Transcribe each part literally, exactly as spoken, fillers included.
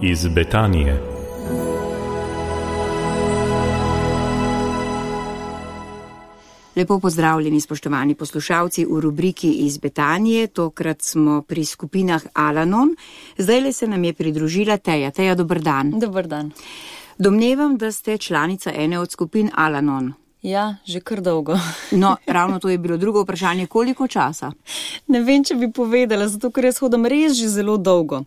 iz Betanije. Lepo pozdravljeni, spoštovani poslušalci, v rubriki iz Betanije. Tokrat smo pri skupinah Al-Anon. Zdajle se nam je pridružila Teja. Teja, dober dan. Dober dan. Domnevam, da ste članica ene od skupin Al-Anon. Ja, že kar dolgo. No, ravno to je bilo drugo vprašanje. Koliko časa? Ne vem, če bi povedala, zato ker jaz hodam res že zelo dolgo.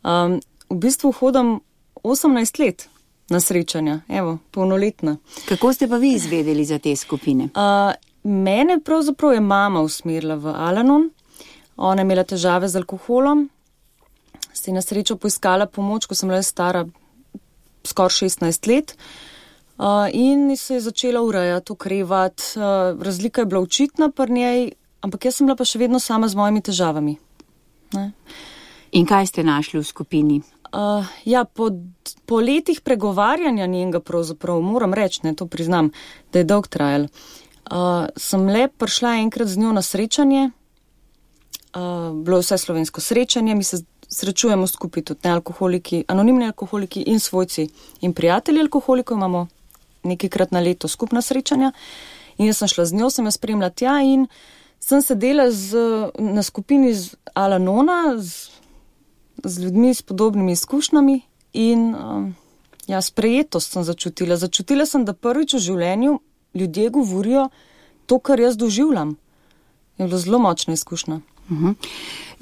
Um, v bistvu hodam osemnajst let na srečanja, evo, polnoletna. Kako ste pa vi izvedeli za te skupine? Uh, mene pravzaprav je mama usmerila v Al-Anon. Ona je imela težave z alkoholom. Si na srečo poiskala pomoč, ko sem bila stara skoraj šestnajst let. Uh, in se je začela urejati, okrevati. Uh, razlika je bila očitna pri njej, ampak jaz sem bila pa še vedno sama z mojimi težavami. Ne? In kaj ste našli v skupini? Uh, ja, po, po letih pregovarjanja njenega pravzaprav, moram reči, ne, to priznam, da je dolg trajal. Uh, sem le prišla enkrat z njo na srečanje, uh, bilo je vse slovensko srečanje, mi se srečujemo skupaj tudi nealkoholiki, anonimni alkoholiki in svojci in prijatelji alkoholikov, imamo nekajkrat na leto skupna srečanja in jaz sem šla z njo, sem jo spremljala tja in sem sedela z, na skupini z Al-Anona, z z ljudmi s podobnimi izkušnjami in um, ja, sprejetost sem začutila. Začutila sem, da prvič v življenju ljudje govorijo to, kar jaz doživljam. Je bilo zelo močna izkušnja. Uh-huh.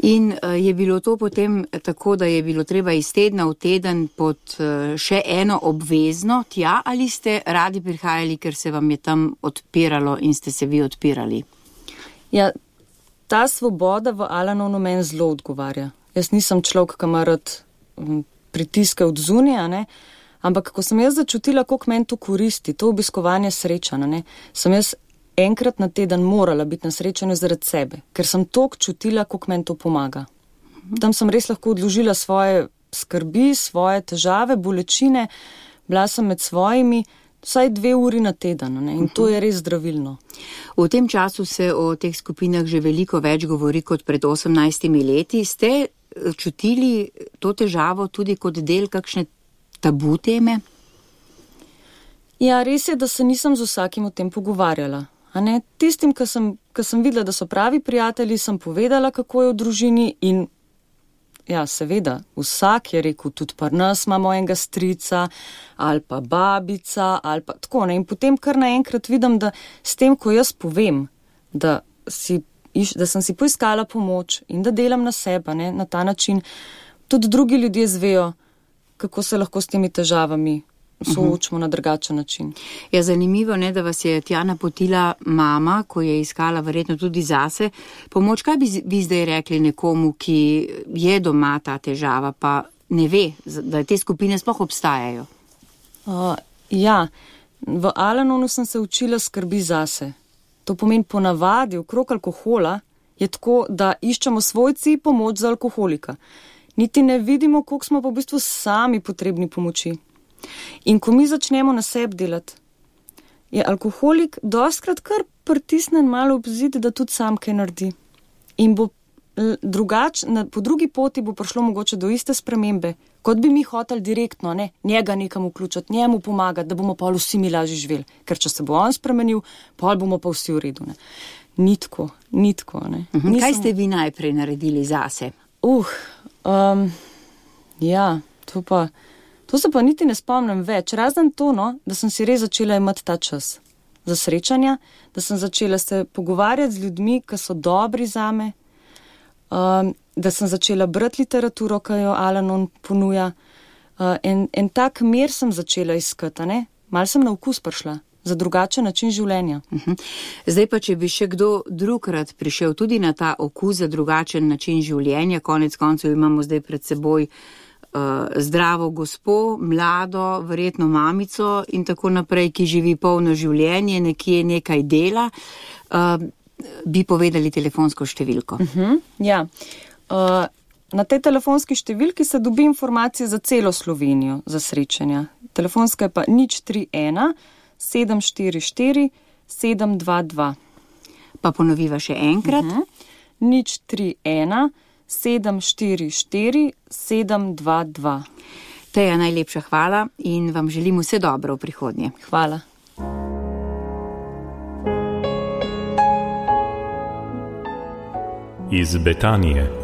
In uh, je bilo to potem tako, da je bilo treba iz tedna v teden pod uh, še eno obvezno tja, ali ste radi prihajali, ker se vam je tam odpiralo in ste se vi odpirali? Ja, ta svoboda v Al-Anonu meni zelo odgovarja. Jaz nisem človek, ki ima rad pritiske od zunija, ne, ampak ko sem jaz začutila, koliko meni to koristi, to obiskovanje srečanja, ne, sem jaz enkrat na teden morala biti na srečanju zaradi sebe, ker sem toliko čutila, koliko meni to pomaga. Tam sem res lahko odložila svoje skrbi, svoje težave, bolečine, bila sem med svojimi, vsaj dve uri na teden, ne, in to je res zdravilno. V tem času se o teh skupinah že veliko več govori kot pred osemnajstimi leti. Ste čutili to težavo tudi kot del kakšne tabu teme? Ja, res je, da se nisem z vsakim o tem pogovarjala. A ne? Tistim, ki sem, ki sem videla, da so pravi prijatelji, sem povedala, kako je v družini in ja, seveda, vsak je rekel, tudi pri nas imamo enega strica ali pa babica ali pa tako, ne, in potem kar naenkrat vidim, da s tem, ko jaz povem, da, si, da sem si poiskala pomoč in da delam na sebe, ne, na ta način, tudi drugi ljudje zvejo, kako se lahko s temi težavami soočimo na drugačen način. Ja, zanimivo, ne, da vas je tja napotila mama, ko je iskala verjetno tudi zase pomoč. Kaj bi vi zdaj rekli nekomu, ki je doma ta težava, pa ne ve, da te skupine sploh obstajajo? Uh, ja, v Al-Anonu sem se učila skrbi zase. To pomeni ponavadi okrog alkohola je tako, da iščemo svojci pomoč za alkoholika. Niti ne vidimo, koliko smo pa v bistvu sami potrebni pomoči. In ko mi začnemo na sebi delati, je alkoholik dostkrat kar pritisnen malo ob zid, da tudi sam kaj naredi. In bo drugač, na, po drugi poti bo prišlo mogoče do iste spremembe, kot bi mi hoteli direktno, ne, njega nekam vključiti, njemu pomagati, da bomo pa vsi mi lažje živeli. Ker če se bo on spremenil, pa bomo pa vsi v redu. Ne. Ni tako, ni tako. Ne. Uh-huh. Nisem... Kaj ste vi najprej naredili zase? Uh, um, ja, to pa... To se pa niti ne spomnim več, razen to, no, da sem si res začela imati ta čas za srečanja, da sem začela se pogovarjati z ljudmi, ki so dobri zame, um, da sem začela brati literaturo, ki jo Al-Anon ponuja. Uh, en, en tak mir sem začela iskati, ne? Mal sem na okus prišla za drugačen način življenja. Uh-huh. Zdaj pa, če bi še kdo drugkrat prišel tudi na ta okus za drugačen način življenja, konec koncev imamo zdaj pred seboj zdravo gospo, mlado, verjetno mamico in tako naprej, ki živi polno življenje, nekje nekaj dela, uh, bi povedali telefonsko številko. Uh-huh, ja. Uh, na tej telefonski številki se dobi informacije za celo Slovenijo za srečanja. Telefonska je pa nič tri ena sedem štiri štiri sedem dva dva. Pa ponoviva še enkrat. Uh-huh. nič tri ena sedem štiri štiri sedem dva dva. Teja, najlepša hvala in vam želim vse dobro v prihodnje. Hvala. Iz Betanije.